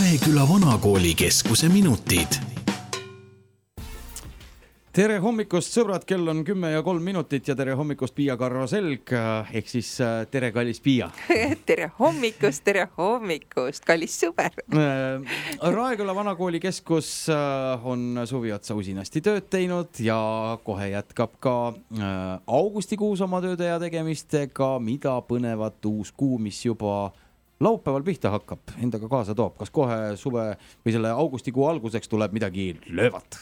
Raeküla vanakoolikeskuse minutid. Tere hommikust, sõbrad, kell on 10:03 ja tere hommikust, Piia Karro Selg, ehk siis tere, kallis Piia. Tere hommikust, kallis sõber. Raeküla vanakoolikeskus on suvi otsa usinasti tööd teinud ja kohe jätkab ka augustikuus oma tööde ja tegemistega, mida põnevat uus kuu, mis juba laupäeval pihta hakkab, endaga kaasa toob. Kas kohe suve või selle augustikuu alguseks tuleb midagi löövat?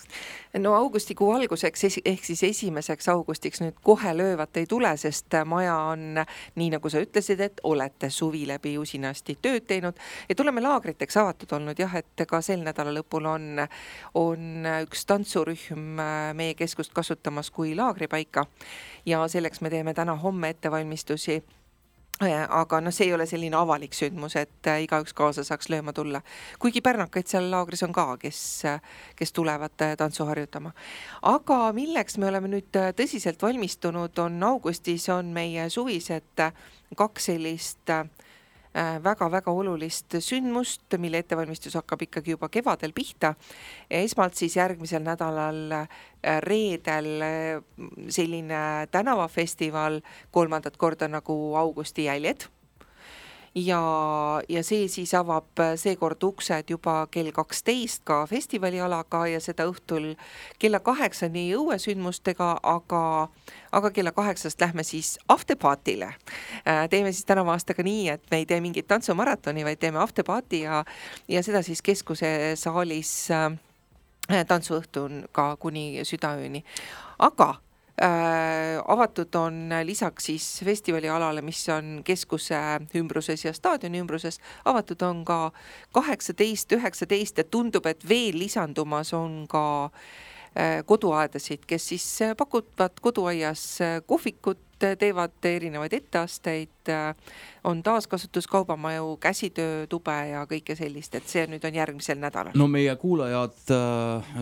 No augustikuu alguseks ehk siis 1. augustiks nüüd kohe löövat ei tule, sest maja on, nii nagu sa ütlesid, et olete suvi läbi usinasti tööd teinud. Et oleme laagriteks avatud olnud, jah, et ka sel nädala lõpul on üks tantsurühm meie keskust kasutamas kui laagripaika ja selleks me teeme täna homme ettevalmistusi. Aga see ei ole selline avalik sündmus, et igaüks kaasa saaks lööma tulla. Kuigi pärnakaid seal laagris on ka, kes tulevad tantsu harjutama. Aga milleks me oleme nüüd tõsiselt valmistunud on augustis, on meie suvised 2 sellist väga-väga olulist sündmust, mille ettevalmistus hakkab ikkagi juba kevadel pihta. Esmalt siis järgmisel nädalal reedel selline tänavafestival 3. korda nagu Augusti jäljed. Ja see siis avab seekord uksed juba kell 12 ka festivalialaga ja seda õhtul kella 8-ni õuesündmustega, aga kella 8-st lähme siis afterpartile. Teeme siis tänavu aastaga nii, et me ei tee mingit tantsumaratoni, vaid teeme afterparti ja seda siis keskuse saalis tantsuõhtun ka kuni südaööni. Aga avatud on lisaks siis festivali alale, mis on keskuse ümbruses ja staadioni ümbruses, avatud on ka 18, 19 ja tundub, et veel lisandumas on ka koduaedasid, kes siis pakuvad koduaias kohvikut, teevad erinevaid etteasteid, on taaskasutuskaubamaju, käsitöötube ja kõike sellist, et see nüüd on järgmisel nädalal. No meie kuulajad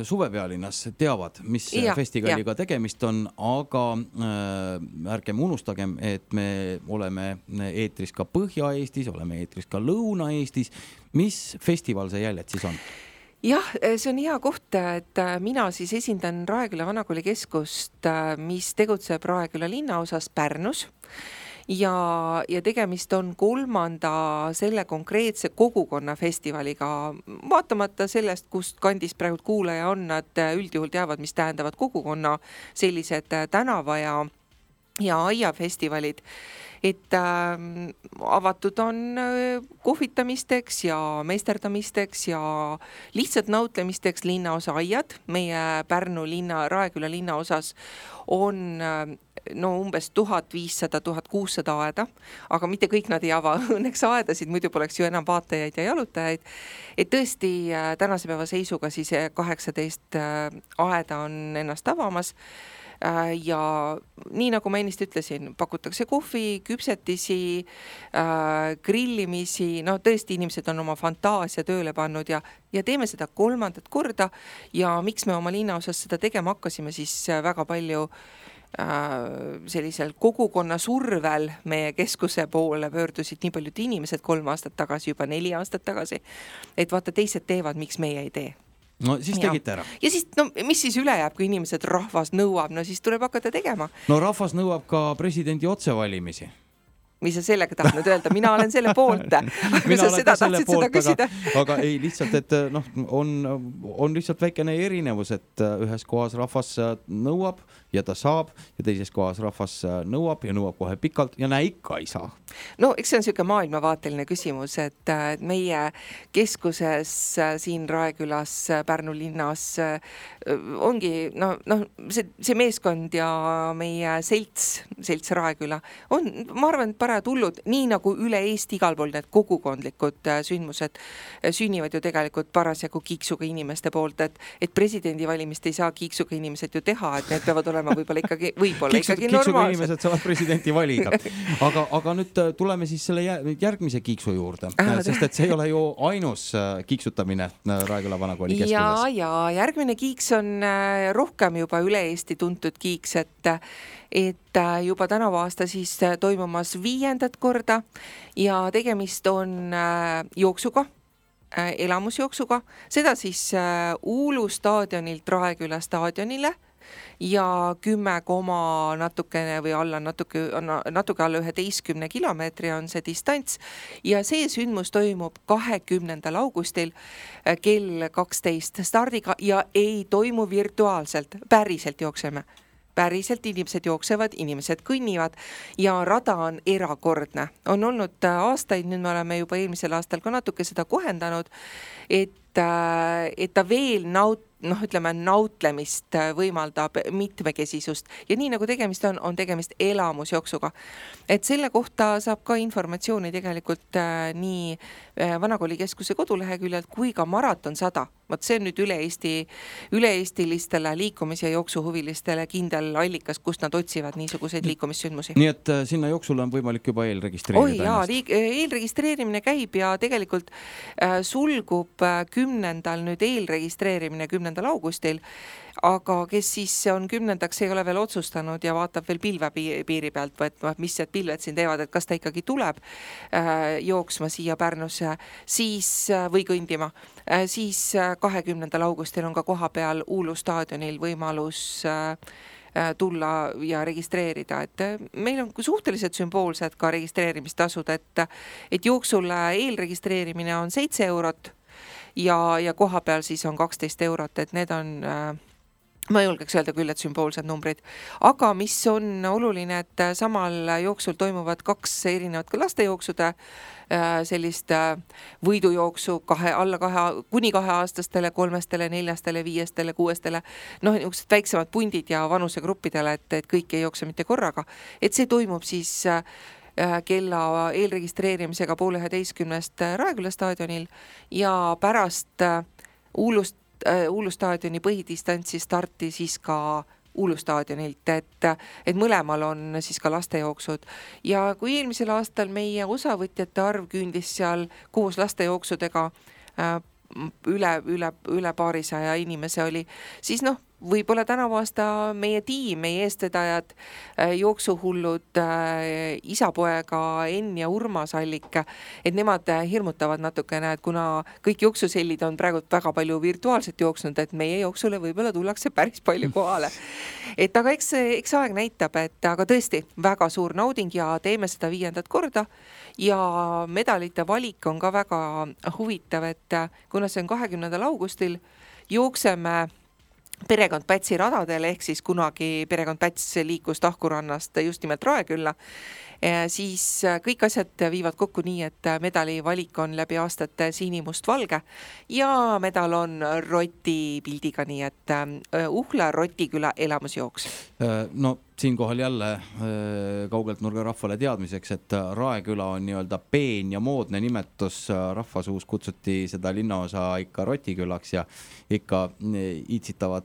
suvepealinnas teavad, mis festivaliga tegemist on, aga ärgem unustagem, et me oleme eetris ka Põhja-Eestis, oleme eetris ka Lõuna-Eestis. Mis festival see jäljed siis on? Jah, see on hea koht, et mina siis esindan Raeküla vanakoolikeskust, mis tegutseb Raeküla linnaosas Pärnus ja tegemist on 3. selle konkreetse kogukonna festivaliga. Vaatamata sellest, kust kandis praegu kuulaja on, nad üldjuhul teavad, mis tähendavad kogukonna sellised tänava ja aiafestivalid. Et avatud on kohvitamisteks ja meisterdamisteks ja lihtsalt nautlemisteks linnaosa aiad. Meie Pärnu linna, Raeküla linnaosas on umbes 1500-1600 aeda, aga mitte kõik nad ei ava õnneks aedasid, muidu poleks ju enam vaatajaid ja jalutajaid. Et tõesti tänase päeva seisuga siis 18 aeda on ennast avamas. Ja nii nagu ma ennist ütlesin, pakutakse kohvi, küpsetisi, grillimisi, tõesti inimesed on oma fantaasia tööle pannud ja teeme seda 3. korda ja miks me oma linnaosas seda tegema hakkasime, siis väga palju sellisel kogukonna survel meie keskuse poole pöördusid nii paljud inimesed 3 aastat tagasi, juba 4 aastat tagasi, et vaata teised teevad, miks meie ei tee. No siis tegite ära. Ja siis, mis siis üle jääb, kui inimesed rahvas nõuab, siis tuleb hakata tegema. No rahvas nõuab ka presidendi otsevalimisi. Mis sa sellega tahtnud öelda? Mina olen selle poolt. Mina olen ka selle poolt, aga ei lihtsalt, et on lihtsalt väikene erinevus, et ühes kohas rahvas nõuab ja ta saab ja teises kohas rahvas nõuab ja nõuab kohe pikalt ja näe ikka ei saa. No eks see on selline maailmavaateline küsimus, et meie keskuses siin Raekülas, Pärnu linnas ongi, see meeskond ja meie selts Raeküla on, ma arvan, parajad hullud, nii nagu üle Eesti igal pool need kogukondlikud sündmused sünnivad ju tegelikult parasjagu kiiksuga inimeste poolt, et presidendivalimist ei saa kiiksuga inimesed ju teha, et need peavad olema võib-olla ikkagi kiiksuga normaalsed. Inimesed saavad presidenti valida. Aga nüüd tuleme siis selle järgmise kiiksu juurde, sest et see ei ole ju ainus kiiksutamine Raeküla vanakooli keskuses. Ja järgmine kiiks on rohkem juba üle Eesti tuntud kiiks, et juba tänavu aasta siis toimumas 5. korda ja tegemist on jooksuga. elamusjooksuga, seda siis Uulu staadionilt Raeküla staadionile ja 10 natukene või natuke alla 11 kilomeetri on see distants ja see sündmus toimub 20. augustil kell 12 stardiga ja ei toimu virtuaalselt, päriselt jookseme. Päriselt inimesed jooksevad, inimesed kõnnivad ja rada on erakordne. On olnud aastaid, nüüd me oleme juba eelmisel aastal ka natuke seda kohendanud, et ta veel nautlemist võimaldab mitmekesisust ja nii nagu tegemist on tegemist elamusjooksuga. Et selle kohta saab ka informatsiooni tegelikult nii Vanakooli keskuse koduleheküljelt kui ka Maraton 100. Vot see on nüüd üle-eestilistele liikumis- ja jooksuhuvilistele kindel allikas, kust nad otsivad niisuguseid liikumissündmusi. Nii et sinna jooksule on võimalik juba eelregistreerida ennast? Eelregistreerimine käib ja tegelikult sulgub 10. nüüd eelregistreerimine 10. augustil, aga kes siis on 10. ei ole veel otsustanud ja vaatab veel pilve piiri pealt, mis need pilved siin teevad, et kas ta ikkagi tuleb jooksma siia Pärnusse või kõndima, siis 20. augustil on ka koha peal Uulu staadionil võimalus tulla ja registreerida, et meil on suhteliselt sümboolsed ka registreerimistasud, et jooksule eelregistreerimine on 7 eurot ja koha peal siis on 12 eurot, et need on ma julgeks öelda küll, et sümboolsed numbrid. Aga mis on oluline, et samal jooksul toimuvad 2 erinevat ka lastejooksude sellist võidujooksu kuni 2-aastastele, 3, 4, 5, 6, niisugused väiksemad pundid ja vanusegruppidele, et kõik ei jookse mitte korraga. Et see toimub siis kella eelregistreerimisega 10:30 Raeküla staadionil ja pärast Uulu staadioni põhidistantsi starti siis ka Uulu staadionilt, et mõlemal on siis ka lastejooksud. Ja kui eelmisel aastal meie osavõtjate arv küündis seal koos lastejooksudega üle 200 inimese oli, siis võib-olla tänavu aasta meie tiim, meie eestvedajad, jooksuhullud, isapoega Enn ja Urmas Allik, et nemad hirmutavad natukene, et kuna kõik jooksusellid on praegu väga palju virtuaalselt jooksnud, et meie jooksule võib-olla tullakse päris palju kohale. Et aga eks aeg näitab, aga tõesti väga suur nauding ja teeme seda 5. korda ja medalite valik on ka väga huvitav, et kuna see on 20. augustil, jookseme perekond Pätsi radadel, ehk siis kunagi perekond Päts liikus Tahkurannast just nimelt Raekülla, siis kõik asjad viivad kokku nii, et medali valik on läbi aastate sinimustvalge ja medal on roti pildiga, nii et Uhla Rotiküla elamusjooks. No siinkohal jälle kaugelt nurga rahvale teadmiseks, et Raeküla on nii-öelda peen ja moodne nimetus, rahvasuus kutsuti seda linnaosa ikka Rotikülaks ja ikka iitsitavad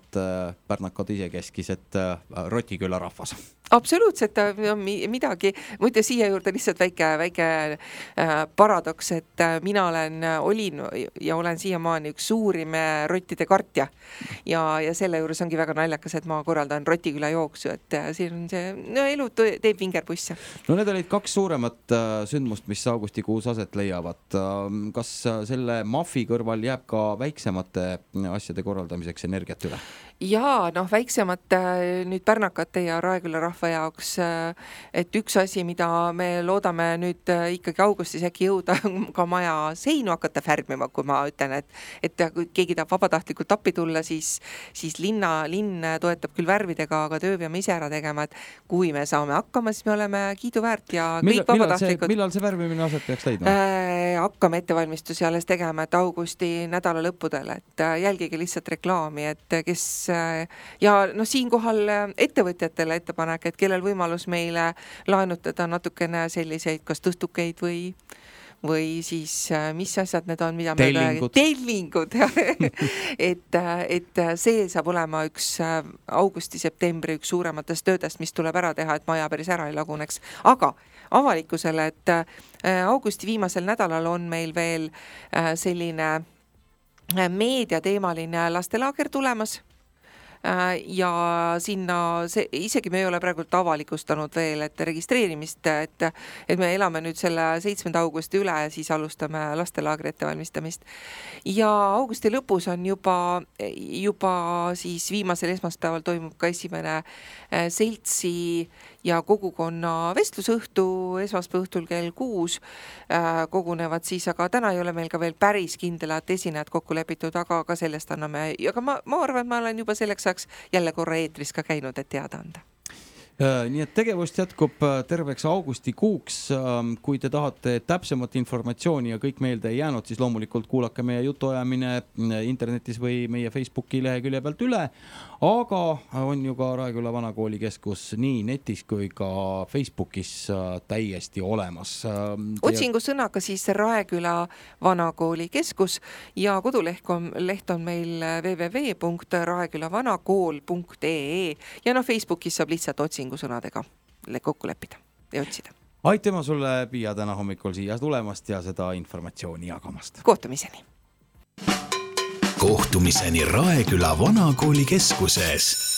pärnakad isekeskis, et Rotiküla rahvas. Absoluutselt midagi, muide siia juurde lihtsalt väike paradoks, et mina olin ja olen siiamaani üks suurim rottide kartja ja selle juures ongi väga naljakas, et ma korraldan Rotiküla jooksu, et siin on see, elu teeb vingerbusse. No need olid 2 suuremat sündmust, mis augustikuus aset leiavad. Kas selle MAF-i kõrval jääb ka väiksemate asjade korraldamiseks energiat üle? Ja väiksemad nüüd pärnakate ja Raeküla rahva jaoks, et üks asi, mida me loodame nüüd ikkagi augustis äkki jõuda ka maja seinu hakata färmima, kui ma ütlen, et kui keegi tahab vabatahtlikult appi tulla, siis linn toetab küll värvidega, aga töö peame ise ära tegema, et kui me saame hakkama, siis me oleme kiiduväärt ja kõik vabatahtlikud. Millal see värvimine aset peaks leidma? Hakkame ettevalmistusi alles tegema, et augusti nädala lõppudel, et jälgige lihtsalt reklaami, et kes ja siinkohal ettevõtjatele ettepanek, et kellel võimalus meile laenutada natukene selliseid kas tõstukeid või siis mis asjad need on, mida tellingud et see saab olema üks augusti-septembri üks suurematest töödest, mis tuleb ära teha, et maja päris ära ei laguneks, aga avalikkusele, et augusti viimasel nädalal on meil veel selline meediateemaline lastelaager tulemas. ja sinna isegi me ei ole praegu avalikustanud veel, et registreerimist, et me elame nüüd selle 7. augusti üle ja siis alustame lastelaagri ettevalmistamist. Ja augusti lõpus on juba siis viimasel esmaspäeval toimub ka esimene seltsi ja kogukonna vestlusõhtu esmaspäeva õhtul kell 6 kogunevad siis, aga täna ei ole meil ka veel päris kindlad esinejad kokku lepitud, aga sellest anname, aga ma arvan, et ma olen juba selleks ajaks jälle korra eetris ka käinud, et teada anda. Nii et tegevust jätkub terveks augustikuuks. Kui te tahate täpsemat informatsiooni ja kõik meelde ei jäänud, siis loomulikult kuulake meie jutuajamine internetis või meie Facebooki lehekülje pealt üle. Aga on ju ka Raeküla Vanakooli keskus nii netis kui ka Facebookis täiesti olemas. Otsingu sõnaga siis Raeküla Vanakooli keskus ja koduleht on meil www.raekülavanakool.ee ja Facebookis saab lihtsalt otsingusõnadega kokku leppida ja otsida. Aitema sulle, Piia, täna hommikul siia tulemast ja seda informatsiooni jagamast. Kohtumiseni! Kohtumiseni Raeküla Vanakooli keskuses.